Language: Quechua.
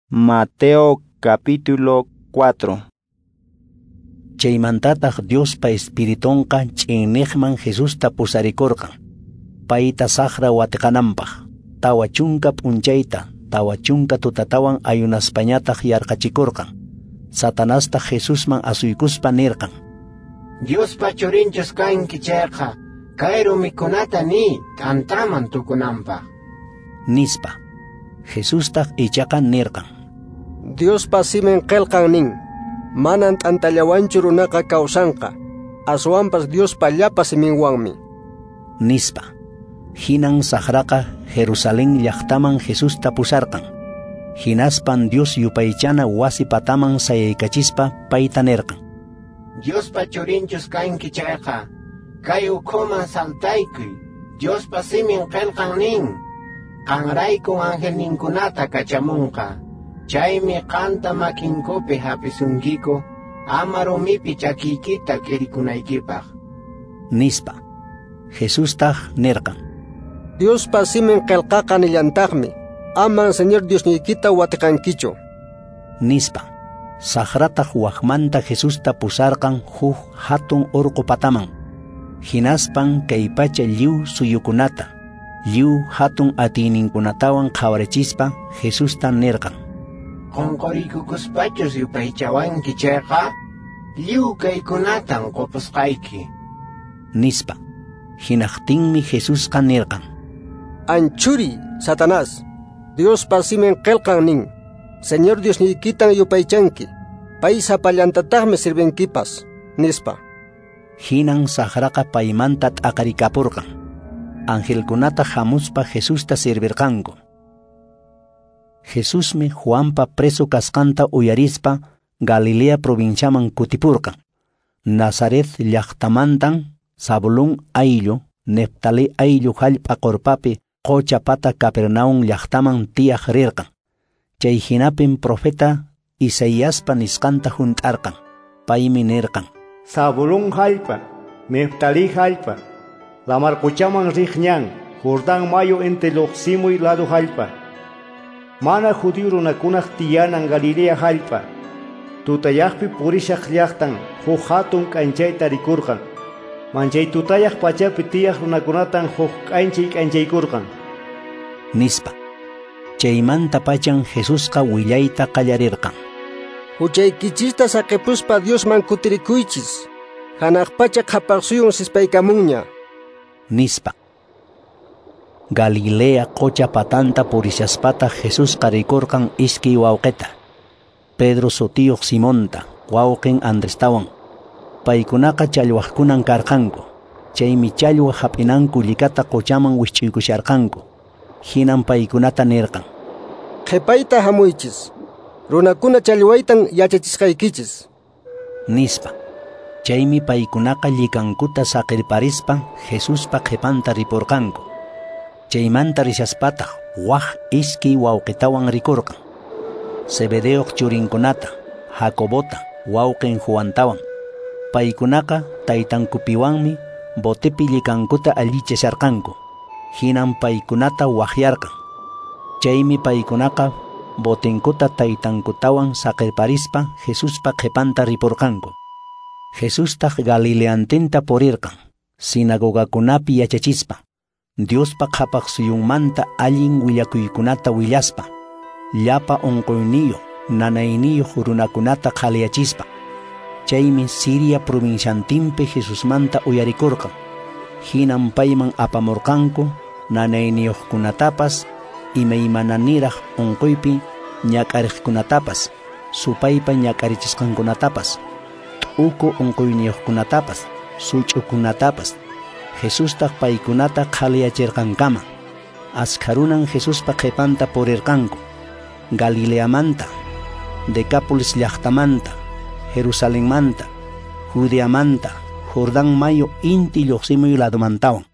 Mateo capítulo 4. Chaymantataq Diospa Espiritunqa ch'inniqman Jesusta pusarikurqan, payta saqra watiqananpaq, 40 p'unchayta, 40 tutatawan ayunaspañataq yarqachikurqan. Satanastaq Jesusman asuykuspa nirqan: Diospa churinchus kanki chayqa, kay rumikunata niy t'antaman tukunanpaq, nispa. Jesustaq ichaqa nirqan: Diospa simin qillqan nin, manan t'antallawanchu runaqa kawsanqa, aswanpas Diospa llapa siminwanmi, nispa. Hinan saqraqa Jerusalén llaqtaman Jesusta pusarqan. Hinaspan Dios yupaychana wasi pataman sayaykachispa payta nirqan: Diospa churinchus kanki chayqa, kay ukhuman saltaykuy. Diospa simin qillqan nin, qanraykun angelninkunata kachamunqa, chaymi qanta makinkupi hapisunkiku, ama rumipi chakiykita k'irikunaykipaq, nispa. Jesustaq nirqan: Diospa simin qillqaqa nillantaqmi, aman Señor Diosniykita watiqankichu, nispa. Saqrataq waqmanta Jesusta pusarqan huk hatun urqu pataman. Hinaspan kay pacha lliw suyukunata, lliw hatun atiyninkunatawan qhawarichispa Jesusta nirqan: Qunquriykukuspachus yupaychawanki chayqa, lliw kaykunatan qupusqayki, nispa. Hinaqtinmi Jesusqa nirqan: Anchuri, Satanás, Diospa simin qillqan nin, Señor Diosniykitan yupaychanki, pay sapallantataqmi sirvinkipas, nispa. Hinan saqraqa paymanta t'aqarikapurqan. Angelkunata hamuspa Jesusta sirvirqanku. Jesusmi Juanpa preso kasqanta uyarispa Galilea provinciaman kutipurqan. Nazaret llaqtamantan Zabulón ayllu, Neftalí ayllu hallp'a qurpapi qocha pata Capernaum llaqtaman tiyaq rirqan. Chay hinapin profeta Isaiaspa nisqanta hunt'arqan. Paymi nirqan: Zabulón hallp'a, Neftalí hallp'a, lamar qochaman riq ñan, Jordán mayu inti lluqsimuy ladu hallp'a, mana judío runakunaq tiyanan Galilea hallp'a, tutayaqpi purishaq llaqtan huk hatun k'anchayta rikurqan, manchay tutayaq pachapi tiyaq runakunatan huk k'anchay k'anchaykurqan, nispa. Chaymanta pachan Jesusqa willayta qallarirqan: Huchaykichista saqipuspa Diosman kutirikuychis, hanaq pacha qhapaqsuyun sispaykamunña, nispa. Galilea qocha patanta purishaspataq Jesusqa rikurqan iskay wawqita, Pedro sutiyuq Simonta, wawqin Andrestawan. Paykunaqa challwaqkunan karqanku, chaymi challwa hap'inanku llikata qochaman wisch'uykusharqanku. Hinan paykunata nirqan: Qhipayta hamuychis, runakuna challwaytan yachachisqaykichis, nispa. Chaymi paykunaqa llikankuta saqirparispa Jesuspa qhipanta ripurqanku. Chaymanta rishaspataq waq iskay wawqitawan rikurqan, Zebedeoq churinkunata, Jacobota, wawqin Juantawan. Paykunaqa taytankupiwanmi botepi llikankuta allichasharqanku. Hinan paykunata waqyarqan. Chaymi paykunaqa botenkuta taytankutawan saqirparispa Jesuspa qhipanta ripurqanku. Jesustaq Galileantinta purirqan, sinagogakunapi yachachispa, Diospa qhapaqsuyunmanta allin willakuykunata willaspa, llapa unquyniyuq, nanayniyuq runakunata qhaliyachispa. Chaymi Siria provinciantinpi Jesusmanta uyarikurqan. Hinan payman apamurqanku nanayniyuqkunatapas, imaymananiraq unquypi ñak'ariqkunatapas, supaypa ñak'arichisqankunatapas, t'uku unquyniyuqkunatapas, such'ukunatapas. Jesustaq paykunata qhaliyachirqankama. Askharunan Jesuspa qhipanta purirqanku, Galileamanta, Decápolis llaqtamanta, Jerusalenmanta, Judeamanta, Jordán mayu inti lluqsimuy ladumantawan.